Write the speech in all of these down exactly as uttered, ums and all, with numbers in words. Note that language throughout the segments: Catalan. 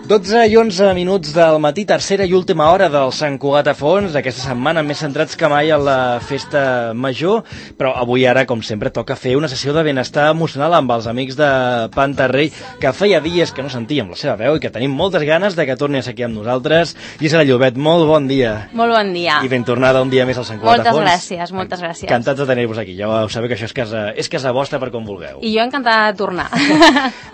dotze i onze minuts del matí, tercera i última hora del Sant Cugat a Fons, aquesta setmana més centrats que mai en la festa major, però avui ara, com sempre, toca fer una sessió de benestar emocional amb els amics de Pantarrei, que feia dies que no sentíem la seva veu i que tenim moltes ganes de que torni a ser aquí amb nosaltres. Gisela Llobet, molt bon dia. Molt bon dia. I ben tornada un dia més al Sant Cugat a Fons. Moltes gràcies, moltes gràcies. Encantats de tenir-vos aquí, ja ho sabeu que això és casa, és casa vostra per com vulgueu. I jo encantada de tornar.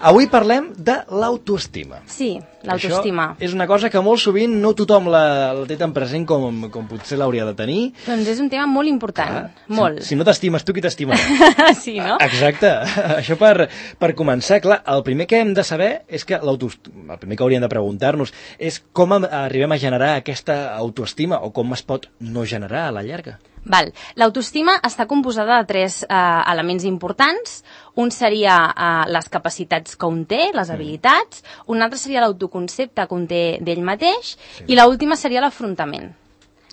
Avui parlem de l'autoestima. Sí, l'autoestima. Això és una cosa que molt sovint no tothom la, la té tan present com, com potser l'hauria de tenir. Doncs és un tema molt important, ah, molt. Si, si no t'estimes tu, qui t'estimarà? Sí, no? Exacte. Això per, per començar, clar, el primer que hem de saber és que l'autoestima, el primer que hauríem de preguntar-nos és com arribem a generar aquesta autoestima o com es pot no generar a la llarga. Val. L'autoestima està composada de tres eh, elements importants. Un seria eh, les capacitats que un té, les habilitats. Un altre seria l'autoconcepte que un té d'ell mateix. Sí. I l'última seria l'afrontament.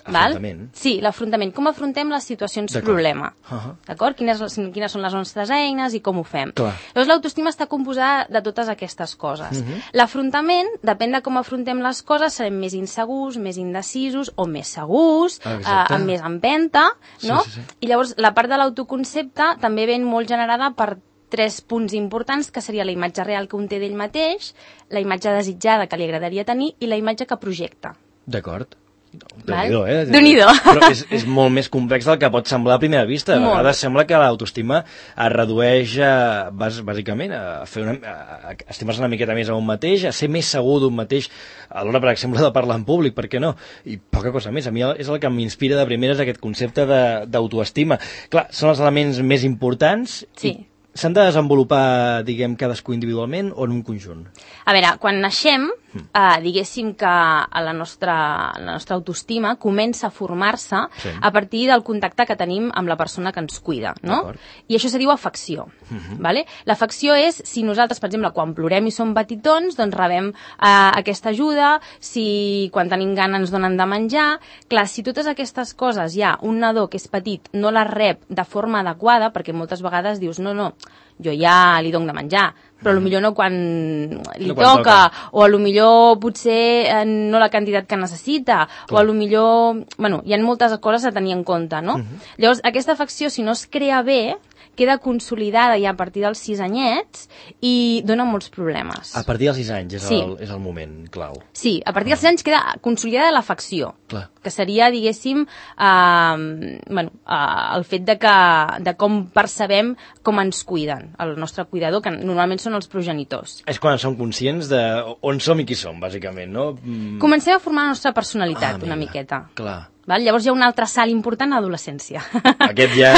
Afrontament? Val? Sí, l'afrontament. Com afrontem les situacions problema. Uh -huh. D'acord? Quines, quines són les nostres eines i com ho fem. Clar. Llavors, l'autoestima està composada de totes aquestes coses. Uh -huh. L'afrontament, depèn de com afrontem les coses, serem més insegurs, més indecisos o més segurs, eh, amb més empenta, no? Sí, sí, sí. I llavors, la part de l'autoconcepte també ven molt generada per tres punts importants, que seria la imatge real que un té d'ell mateix, la imatge desitjada que li agradaria tenir i la imatge que projecta. D'acord. Déu-n'hi-do, eh? Déu-n'hi-do. Però és, és molt més complex del que pot semblar a primera vista. A vegades sembla que l'autoestima es redueix a, bàsicament a fer una, a, a estimar-se una miqueta més a un mateix, a ser més segur d'un mateix a l'hora, per exemple, de parlar en públic, per què no? I poca cosa més. A mi és el que m'inspira de primeres aquest concepte d'autoestima. Clar, són els elements més importants. Sí. S'han de desenvolupar, diguem, cadascú individualment o en un conjunt? A veure, quan naixem, eh, diguéssim que la nostra, la nostra autoestima comença a formar-se sí. a partir del contacte que tenim amb la persona que ens cuida, no? I això se diu afecció. Uh-huh. Vale? L'afecció és si nosaltres, per exemple, quan plorem i som petitons, doncs rebem eh, aquesta ajuda, si quan tenim gana ens donen de menjar. Clar, si totes aquestes coses ja un nadó que és petit no les rep de forma adequada, perquè moltes vegades dius, no, no, jo ja li dono de menjar, però potser no quan li no quan toca, toca, o potser potser eh, no la quantitat que necessita, clar. O potser... Bueno, hi ha moltes coses a tenir en compte, no? Uh-huh. Llavors, aquesta afecció, si no es crea bé, queda consolidada ja a partir dels sis anyets i dona molts problemes. A partir dels sis anys és, sí. el, és el moment clau. Sí, a partir dels sis anys queda consolidada l'afecció, que seria, diguéssim, eh, bueno, eh, el fet de, que, de com percebem com ens cuiden, el nostre cuidador, que normalment són els progenitors. És quan som conscients de on som i qui som, bàsicament, no? Mm. Comencem a formar la nostra personalitat, ah, una miqueta. Clar. Val? Llavors hi ha un altre salt important a l'adolescència. Aquest ja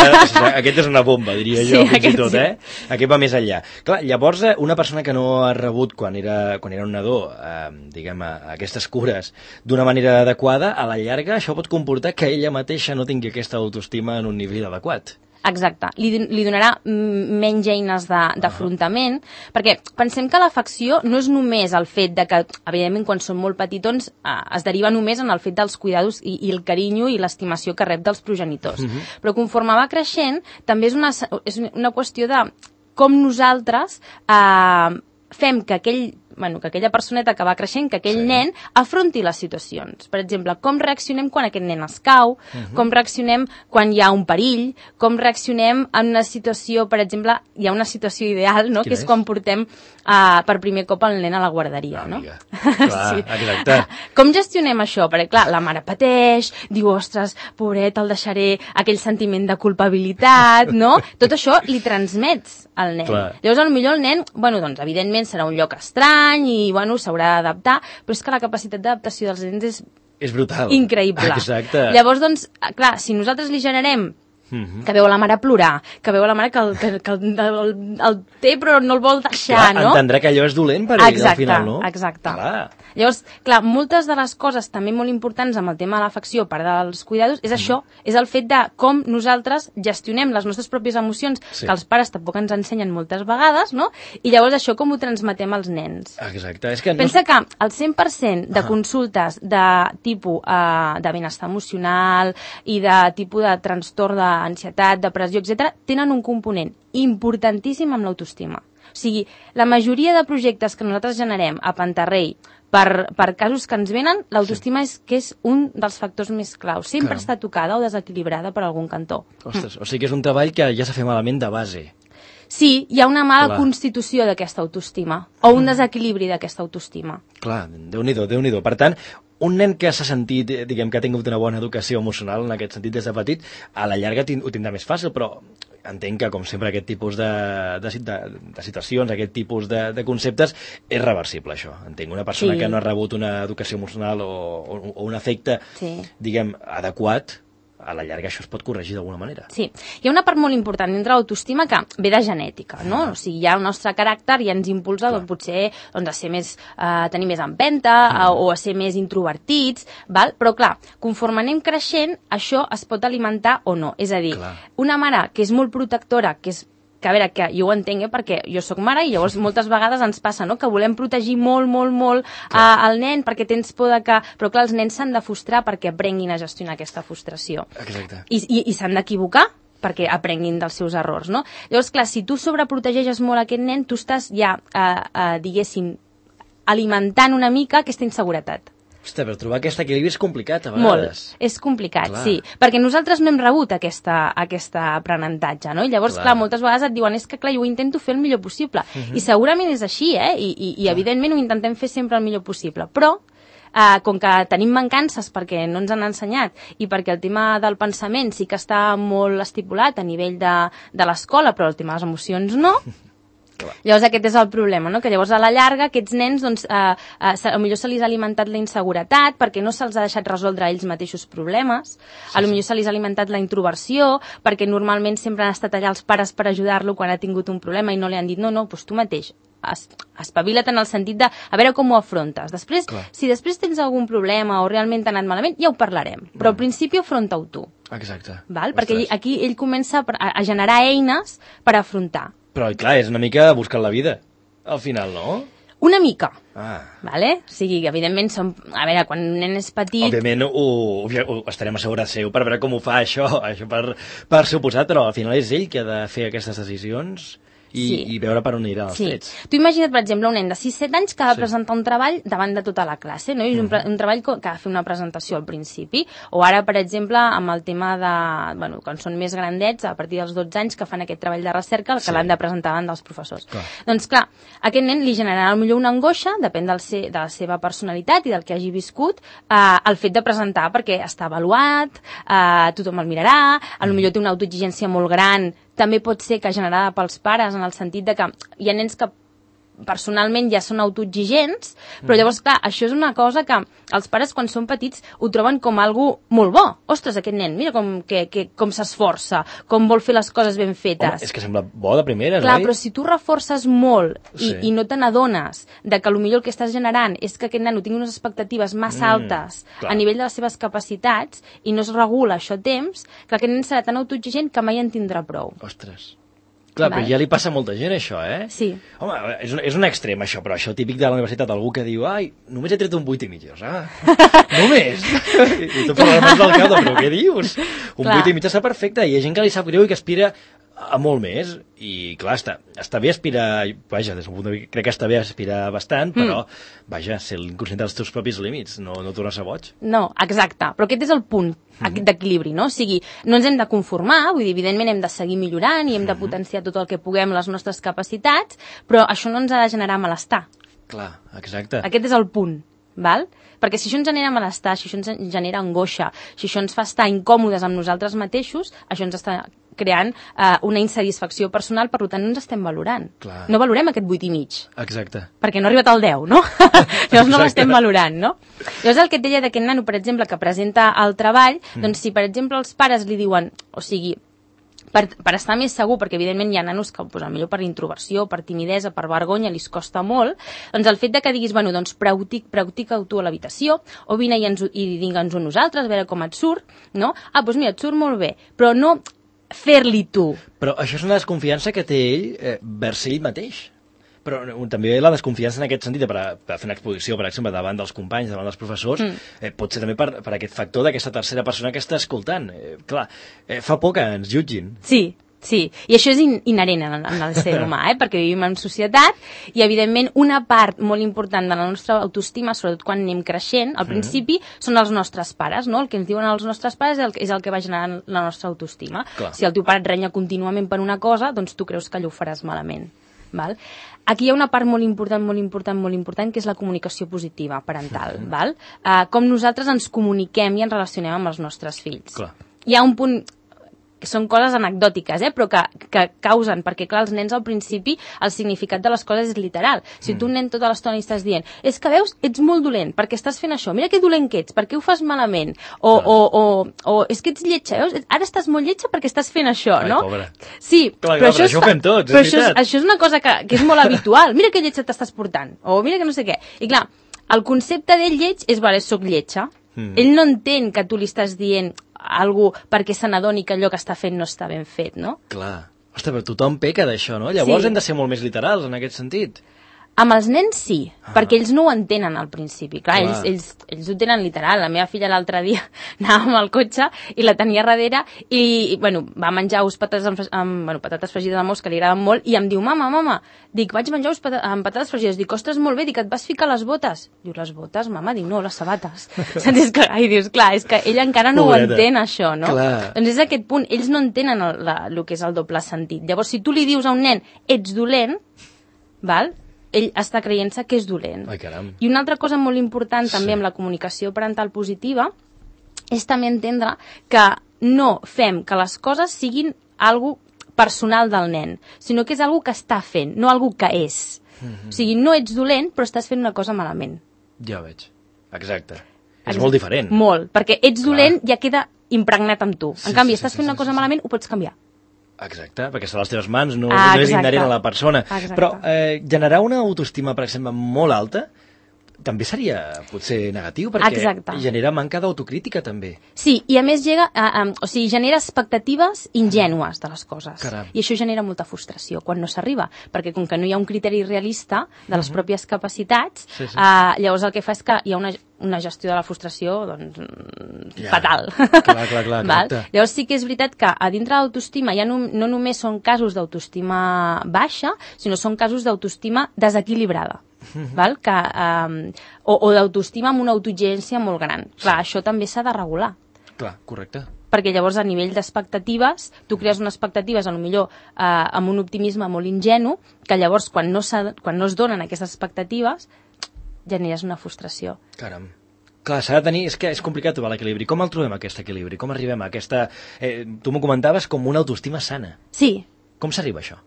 aquest és una bomba, diria jo, sí, fins i tot, sí. eh? Aquest va més enllà. Clar, llavors, una persona que no ha rebut quan era, quan era un nadó, eh, diguem, aquestes cures d'una manera adequada, a la llarga això pot comportar que ella mateixa no tingui aquesta autoestima en un nivell adequat. Exacte, li, li donarà menys eines d'afrontament, uh-huh. perquè pensem que l'afecció no és només el fet de que, evidentment, quan són molt petitons, eh, es deriva només en el fet dels cuidados i, i el carinyo i l'estimació que rep dels progenitors. Uh-huh. Però conforme va creixent, també és una, és una qüestió de com nosaltres eh, fem que aquell bueno, que aquella personeta que va creixent, que aquell sí. nen afronti les situacions. Per exemple, com reaccionem quan aquest nen es cau, uh-huh. com reaccionem quan hi ha un perill, com reaccionem en una situació, per exemple, hi ha una situació ideal, no? que és, és quan portem uh, per primer cop el nen a la guarderia. Ah, no? Clar, sí. exacte. Com gestionem això? Perquè, clar, la mare pateix, diu, ostres, pobret, el deixaré, aquell sentiment de culpabilitat, no? Tot això li transmets al nen. Clar. Llavors, potser el nen, bueno, doncs, evidentment, serà un lloc estrany, i bueno, s'haurà d'adaptar, però és que la capacitat d'adaptació dels nens és, és brutal. Increïble. Exacte. Llavors, doncs, clar, si nosaltres li generem uh-huh. que veu la mare plorar, que veu la mare que el, que, que el, el, el té però no el vol deixar, clar, no? Entendrà que allò és dolent per ell al final, no? Exacte, exacte. Llavors, clar, moltes de les coses també molt importants amb el tema de l'afecció, a part dels cuidados, és això, és el fet de com nosaltres gestionem les nostres pròpies emocions, sí. que els pares tampoc ens ensenyen moltes vegades, no? I llavors això com ho transmetem als nens. Exacte. És que Pensa no... que el cent per cent de consultes de tipus uh, de benestar emocional i de tipus de trastorn d'ansietat, depressió, etcètera, tenen un component importantíssim amb l'autoestima. O sigui, la majoria de projectes que nosaltres generem a Pantarrei per, per casos que ens venen, l'autoestima sí. és que és un dels factors més claus. Sempre Clar. està tocada o desequilibrada per algun cantó. Ostres, mm. o sigui que és un treball que ja s'ha fet malament de base. Sí, hi ha una mala Clar. constitució d'aquesta autoestima, o un desequilibri d'aquesta autoestima. Clar, Déu-n'hi-do, Déu-n'hi-do. Per tant, un nen que s'ha sentit, diguem, que ha tingut una bona educació emocional en aquest sentit des de petit, a la llarga ho tindrà més fàcil, però entenc que, com sempre, aquest tipus de, de, de, de situacions, aquest tipus de, de conceptes, és reversible, això. Entenc, una persona sí. que no ha rebut una educació emocional o, o, o un efecte, sí. diguem, adequat, a la llarga això es pot corregir d'alguna manera. Sí. Hi ha una part molt important dintre l'autoestima que ve de genètica, no? Ah. O sigui, hi ha el nostre caràcter i ens impulsa doncs, potser doncs, a ser més, eh, a tenir més empenta ah. o a ser més introvertits, val? Però clar, conforme anem creixent, això es pot alimentar o no. És a dir, clar. una mare que és molt protectora, que és que a veure, que jo ho entenc, eh, perquè jo sóc mare i llavors moltes vegades ens passa, no?, que volem protegir molt, molt, molt eh, el nen perquè tens por de que... Però clar, els nens s'han de frustrar perquè aprenguin a gestionar aquesta frustració. Exacte. I, i, i s'han d'equivocar perquè aprenguin dels seus errors, no? Llavors, clar, si tu sobreprotegeixes molt aquest nen, tu estàs ja, eh, eh, diguéssim, alimentant una mica aquesta inseguretat. Ostres, però trobar aquest equilibri és complicat, a vegades. Molt, és complicat, clar. sí. Perquè nosaltres no hem rebut aquesta, aquesta aprenentatge, no? I llavors, clar. clar, moltes vegades et diuen és que, clar, jo ho intento fer el millor possible. Uh -huh. I segurament és així, eh? I, i, i evidentment ho intentem fer sempre el millor possible. Però, eh, com que tenim mancances perquè no ens han ensenyat i perquè el tema del pensament sí que està molt estipulat a nivell de, de l'escola, però el tema de les emocions no... Llavors aquest és el problema, no? Que llavors a la llarga aquests nens doncs, eh, eh, potser se li ha alimentat la inseguretat perquè no se'ls ha deixat resoldre ells mateixos problemes, sí, a lo millor se li ha alimentat la introversió perquè normalment sempre han estat allà els pares per ajudar-lo quan ha tingut un problema i no li han dit no, no, doncs tu mateix es, espavila't en el sentit de a veure com ho afrontes. Després, Clar. si després tens algun problema o realment t'ha anat malament, ja ho parlarem, però al principi afronta-ho tu. Exacte. Val? Perquè aquí ell comença a, a generar eines per afrontar. Però, clar, és una mica buscar la vida, al final, no? Una mica. Ah. Vale? O sigui, evidentment, som... a veure, quan un nen és petit... Òbviament, ho, ho, ho estarem a segura seu per veure com ho fa això, això per, per suposat, però al final és ell que ha de fer aquestes decisions... I, sí. i veure per on aniran els sí. trets. Tu imagina't, per exemple, un nen de sis set anys que ha de sí. presentar un treball davant de tota la classe, no? I és un, un treball que ha de fer una presentació al principi, o ara, per exemple, amb el tema de... Bueno, quan són més grandets, a partir dels dotze anys, que fan aquest treball de recerca, que sí. l'han de presentar davant dels professors. Clar. Doncs, clar, a aquest nen li generarà millor una angoixa, depèn del se, de la seva personalitat i del que hagi viscut, eh, el fet de presentar, perquè està avaluat, eh, tothom el mirarà, a lo millor té una autoexigència molt gran, també pot ser que generada pels pares en el sentit de que hi ha nens que personalment ja són autoexigents, però llavors, clar, això és una cosa que els pares quan són petits ho troben com algo molt bo. Ostres, aquest nen, mira com, que, que, com s'esforça, com vol fer les coses ben fetes. Home, és que sembla bo de primeres, clar, oi? però si tu reforces molt i, sí. i no te n'adones de que potser el que estàs generant és que aquest nano tingui unes expectatives massa altes mm, a nivell de les seves capacitats i no es regula això a temps, que aquest nen serà tan autoexigent que mai en tindrà prou. Ostres. Clar, vale. Però ja li passa a molta gent, això, eh? Sí. Home, és un, és un extrem, això, però això típic de la universitat, algú que diu, ai, només he tret un vuit i mig, ah, només? I, i tu fas les mans del cap, però què dius? Un vuit i mig està perfecte, i hi ha gent que li sap greu i que aspira a molt més, i clar, està, està bé aspirar, vaja, des del punt de vista, crec que està bé aspirar bastant, però, mm. vaja, ser l'inconscient dels teus propis límits, no, no tornar-se boig. No, exacte, però aquest és el punt mm. d'equilibri, no? O sigui, no ens hem de conformar, vull dir, evidentment hem de seguir millorant i hem de potenciar tot el que puguem les nostres capacitats, però això no ens ha de generar malestar. Clar, exacte. Aquest és el punt, val? Perquè si això ens genera malestar, si això ens genera angoixa, si això ens fa estar incòmodes amb nosaltres mateixos, això ens està creant uh, una insatisfacció personal, per tant no ens estem valorant. Clar. No valorem aquest vuit i mig. Exacte. Perquè no ha arribat al deu, no? Llavors no l'estem valorant, no? Llavors el que et deia d'aquest nano, per exemple, que presenta el treball, mm. doncs si per exemple els pares li diuen, o sigui, per, per estar més segur, perquè evidentment hi ha nanos que pues, millor per introversió, per timidesa, per vergonya, li costa molt, doncs el fet de que diguis, bueno, doncs practic, practica-ho tu a l'habitació, o vine i, ens, i digue'ns-ho nosaltres, a veure com et surt, no? Ah, doncs mira, et surt molt bé, però no fer-li tu. Però això és una desconfiança que té ell eh, vers ell mateix. Però també la desconfiança en aquest sentit, per, a, per fer una exposició, per exemple, davant dels companys, davant dels professors, mm. eh, pot ser també per, per aquest factor d'aquesta tercera persona que està escoltant. Eh, clar, eh, fa por que ens jutgin. Sí, sí, i això és in inherent en, en el ser humà, eh? Perquè vivim en societat i, evidentment, una part molt important de la nostra autoestima, sobretot quan anem creixent, al principi, mm. són els nostres pares, no? El que ens diuen els nostres pares és el, és el que va generant la nostra autoestima. Clar. Si el teu pare et renya contínuament per una cosa, doncs tu creus que allò ho faràs malament. Val? Aquí hi ha una part molt important, molt important, molt important, que és la comunicació positiva parental. Mm-hmm. Val? Uh, com nosaltres ens comuniquem i ens relacionem amb els nostres fills. Clar. Hi ha un punt que són coses anecdòtiques, eh? Però que, que causen, perquè clar, els nens al principi el significat de les coses és literal. Si mm. tu un nen tota l'estona li estàs dient és que veus, ets molt dolent, perquè estàs fent això, mira que dolent que ets, per què ho fas malament, o, o, o, o és que ets lletja, veus? Ara estàs molt lletja perquè estàs fent això, Ai, no? Pobra. Sí, clar, però, clar, això, això ho fem tots, però és això, és, veritat. això és una cosa que, que és molt habitual, mira que lletja t'estàs portant, o mira que no sé què, i clar, el concepte d'ell lleig és, vale, soc lletja, mm. ell no entén que tu li estàs dient algú perquè se n'adoni que allò que està fent no està ben fet, no? Clar. Ostres, però tothom peca d'això, no? Llavors sí. hem de ser molt més literals en aquest sentit. Amb els nens sí, ah. perquè ells no ho entenen al principi. Clar, Clar. Ells, ells, ells ho tenen literal. La meva filla l'altre dia anava amb el cotxe i la tenia darrere i, bueno, va menjar ous patates, amb, amb, bueno, patates fregides amb ous que li agraden molt i em diu, mama, mama, dic, vaig menjar ous pata amb patates fregides. Dic, ostres, molt bé, dic, et vas ficar les botes? Diu, les botes, mama? Dic, no, les sabates. Saps? Que, ai, dius, clar, és que ell encara no Pobreta. Ho entén, això, no? Clar. Doncs és aquest punt, ells no entenen el, la, el que és el doble sentit. Llavors, si tu li dius a un nen, ets dolent, val?, ell està creient-se que és dolent. Ai, caram. I una altra cosa molt important també sí. amb la comunicació parental positiva és també entendre que no fem que les coses siguin algo personal del nen, sinó que és algo que està fent, no algo que és. Mm-hmm. O sigui, no ets dolent, però estàs fent una cosa malament. Ja veig. Exacte. Exacte. És molt diferent. Molt, perquè ets dolent Clar. Ja queda impregnat amb tu. Sí, en canvi, sí, estàs sí, fent sí, una cosa sí, sí. malament, ho pots canviar. Exacte, perquè està a les teves mans, no, ah, no és inherent a la persona. Exacte. Però eh, generar una autoestima, per exemple, molt alta, també seria potser negatiu, perquè Exacte. Genera manca d'autocrítica, també. Sí, i a més llega, a, a, o sigui, genera expectatives ingènues de les coses. Caram. I això genera molta frustració quan no s'arriba, perquè com que no hi ha un criteri realista de les uh-huh. pròpies capacitats, sí, sí. Eh, llavors el que fa és que hi ha una, una gestió de la frustració doncs, ja. fatal. Clar, clar, clar, Val? Llavors sí que és veritat que a dintre de l'autoestima ja no, no només són casos d'autoestima baixa, sinó són casos d'autoestima desequilibrada. Mm-hmm. Val? Que, um, o o d'autoestima amb una autoexigència molt gran. Clar, això també s'ha de regular. Clar, correcte. Perquè llavors a nivell d'expectatives, tu crees unes expectatives a lo millor eh, amb un optimisme molt ingenu, que llavors quan no, quan no es donen aquestes expectatives generes una frustració. Caram. Clar, s'ha de tenir... És que és complicat trobar l'equilibri. Com el trobem, aquest equilibri? Com arribem a aquesta... Eh, tu m'ho comentaves com una autoestima sana. Sí. Com s'arriba a això?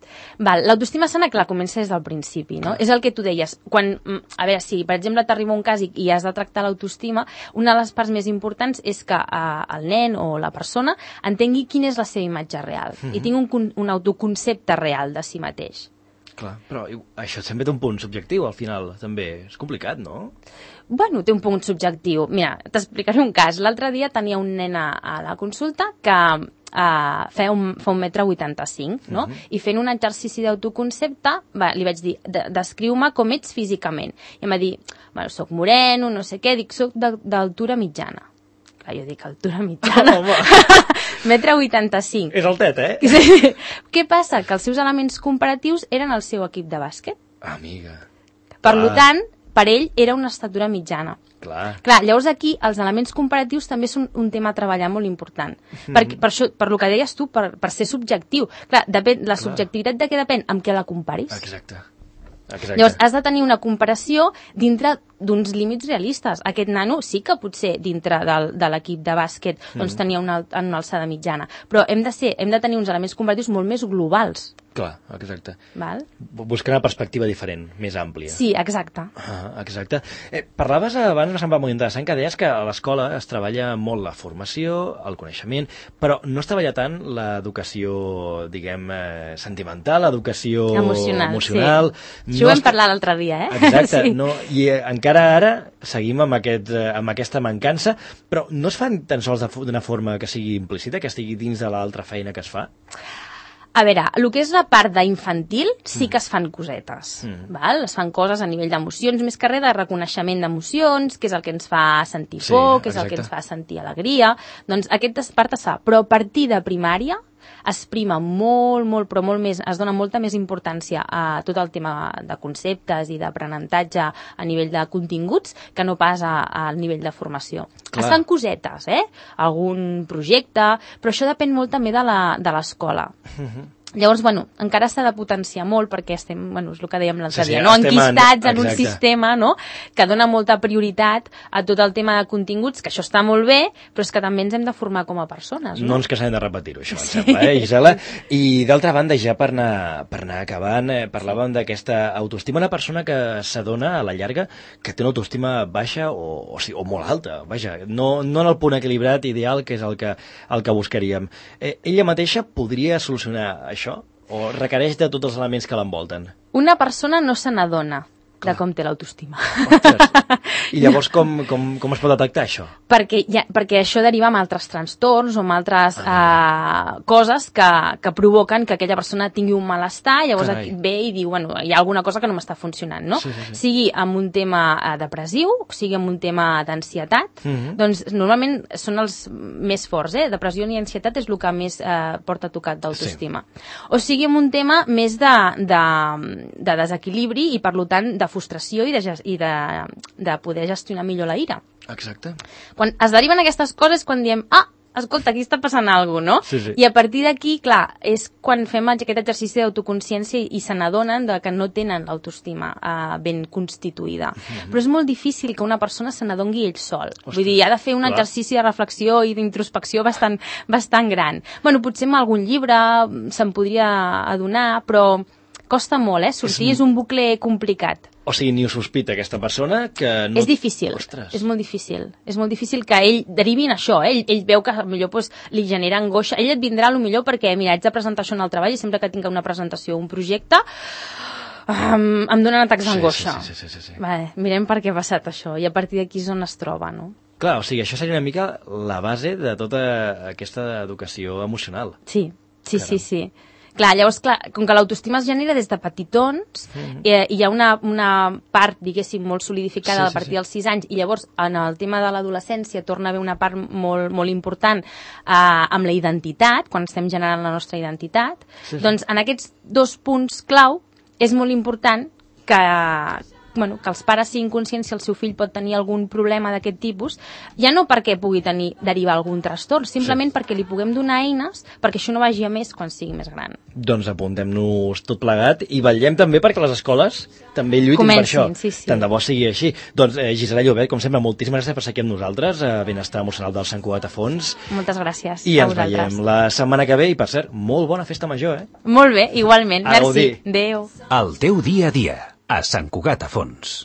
Val, l'autoestima sana, clar, comença des del principi, no? Clar. És el que tu deies. Quan, a veure, si per exemple t'arriba un cas i, i has de tractar l'autoestima, una de les parts més importants és que eh, el nen o la persona entengui quina és la seva imatge real mm-hmm. i tingui un, un autoconcepte real de si mateix. Clar, però això sempre té un punt subjectiu, al final, també. És complicat, no? Bueno, té un punt subjectiu. Mira, t'explicaré un cas. L'altre dia tenia un nen a, a la consulta que uh, feia un, fa un metre vuitanta-cinc, no? Uh-huh. I fent un exercici d'autoconcepte, va, li vaig dir, de, descriu-me com ets físicament. I em va dir, bueno, soc moreno, no sé què, dic, soc d'altura mitjana. Clar, jo dic, altura mitjana. metre vuitanta-cinc. És altet, eh? Sí. Què passa? Que els seus elements comparatius eren el seu equip de bàsquet. Amiga. Per ah. tant, per ell era una estatura mitjana. Clar. Clar, llavors aquí els elements comparatius també són un tema a treballar molt important. Mm-hmm. per, per, això, per lo que deies tu, per, per ser subjectiu. Clar, depèn, la Clar. subjectivitat de què depèn? Amb què la comparis. Exacte. Exacte. Llavors has de tenir una comparació dintre d'uns límits realistes. Aquest nano sí que potser dintre del, de l'equip de bàsquet doncs, mm. tenia una, una alçada mitjana, però hem de, ser, hem de tenir uns elements comparatius molt més globals. Clar, exacte. Val? Buscar una perspectiva diferent, més àmplia. Sí, exacte. Ah, exacte. Eh, parlaves abans, em sembla molt interessant, que deies que a l'escola es treballa molt la formació, el coneixement, però no es treballa tant l'educació, diguem, eh, sentimental, l'educació emocional. emocional. Sí. Això no ho vam es... parlar l'altre dia, eh? Exacte. Sí. No, I eh, encara ara seguim amb, aquest, eh, amb aquesta mancança, però no es fan tan sols d'una forma que sigui implícita, que estigui dins de l'altra feina que es fa? A veure, el que és la part d'infantil sí que es fan cosetes, mm. val? Es fan coses a nivell d'emocions, més que res de reconeixement d'emocions, que és el que ens fa sentir por, sí, que és el que ens fa sentir alegria. Doncs aquesta part es fa, però a partir de primària es prima molt, molt, però molt més, es dona molta més importància a tot el tema de conceptes i d'aprenentatge a nivell de continguts que no pas al nivell de formació. Clar. Es fan cosetes, eh? Algun projecte, però això depèn molt també de l'escola. Uh-huh. Llavors, bueno, encara s'ha de potenciar molt perquè estem, bueno, és el que dèiem l'altre sí, sí, dia, no? enquistats en, en un exacte. sistema, no? Que dona molta prioritat a tot el tema de continguts, que això està molt bé, però és que també ens hem de formar com a persones, no? No ens cansem de repetir-ho, això, sí. em sembla, eh, Gisela? I d'altra banda, ja per anar, per anar acabant, eh, parlàvem d'aquesta autoestima, una persona que s'adona a la llarga que té una autoestima baixa o, o, o molt alta, vaja, no, no en el punt equilibrat ideal, que és el que, el que buscaríem. Eh, ella mateixa podria solucionar això? O requereix de tots els elements que l'envolten? Una persona no se n'adona de com té l'autoestima. I llavors com, com, com es pot detectar això? Perquè, ja, perquè això deriva amb altres trastorns o amb altres ah. uh, coses que, que provoquen que aquella persona tingui un malestar, llavors Carai. ve i diu, bueno, hi ha alguna cosa que no m'està funcionant, no? Sí, sí, sí. Sigui amb un tema uh, depressiu, sigui amb un tema d'ansietat, uh -huh. doncs normalment són els més forts, eh? Depressió i ansietat és el que més uh, porta tocat d'autoestima. Sí. O sigui amb un tema més de, de, de desequilibri i, per tant, de frustració i, de, i de, de poder gestionar millor la ira. Exacte. Quan es deriven aquestes coses, quan diem, ah, escolta, aquí està passant alguna cosa, no? Sí, sí. I a partir d'aquí, clar, és quan fem aquest exercici d'autoconsciència i se n'adonen de que no tenen l'autoestima uh, ben constituïda. Mm-hmm. Però és molt difícil que una persona se n'adongui ell sol. Ostres, vull dir, ha de fer un clar. exercici de reflexió i d'introspecció bastant, bastant gran. Bueno, potser amb algun llibre se'n podria adonar, però costa molt, eh? Sortir és un, és un bucle complicat. O sigui, ni ho sospita aquesta persona que no... És difícil, Ostres. és molt difícil. És molt difícil que ell derivi en això, eh? ell, ell veu que potser pues, li genera angoixa. Ell et vindrà a lo millor perquè, mira, haig de presentar això en el treball i sempre que tinc una presentació o un projecte um, em donen atacs d'angoixa. Sí, sí, sí, sí, sí, sí. Vale, mirem per què ha passat això i a partir d'aquí és on es troba, no? Clar, o sigui, això seria una mica la base de tota aquesta educació emocional. Sí, sí, Caram. sí, sí. Clar, llavors, clar, com que l'autoestima es genera des de petitons, mm-hmm. eh, hi ha una, una part, diguéssim, molt solidificada sí, sí, a partir sí. dels sis anys, i llavors en el tema de l'adolescència torna a haver una part molt, molt important eh, amb la identitat, quan estem generant la nostra identitat. Sí, sí. Doncs en aquests dos punts clau és molt important que... Bueno, que els pares siguin conscients si el seu fill pot tenir algun problema d'aquest tipus, ja no perquè pugui tenir derivar algun trastorn, simplement sí. perquè li puguem donar eines perquè això no vagi a més quan sigui més gran. Doncs apuntem-nos tot plegat i vetllem també perquè les escoles també lluitin Comencin, per això. Sí, sí. Tant de bo sigui així. Doncs eh, Gisela Llobet, com sempre, moltíssimes gràcies per ser aquí amb nosaltres, a Benestar Emocional del Sant Cugat a Fons. Moltes gràcies. I ens veiem la setmana que ve i, per cert, molt bona festa major, eh? Molt bé, igualment. A Merci. Adéu. El teu dia a dia, a Sant Cugat a Fons.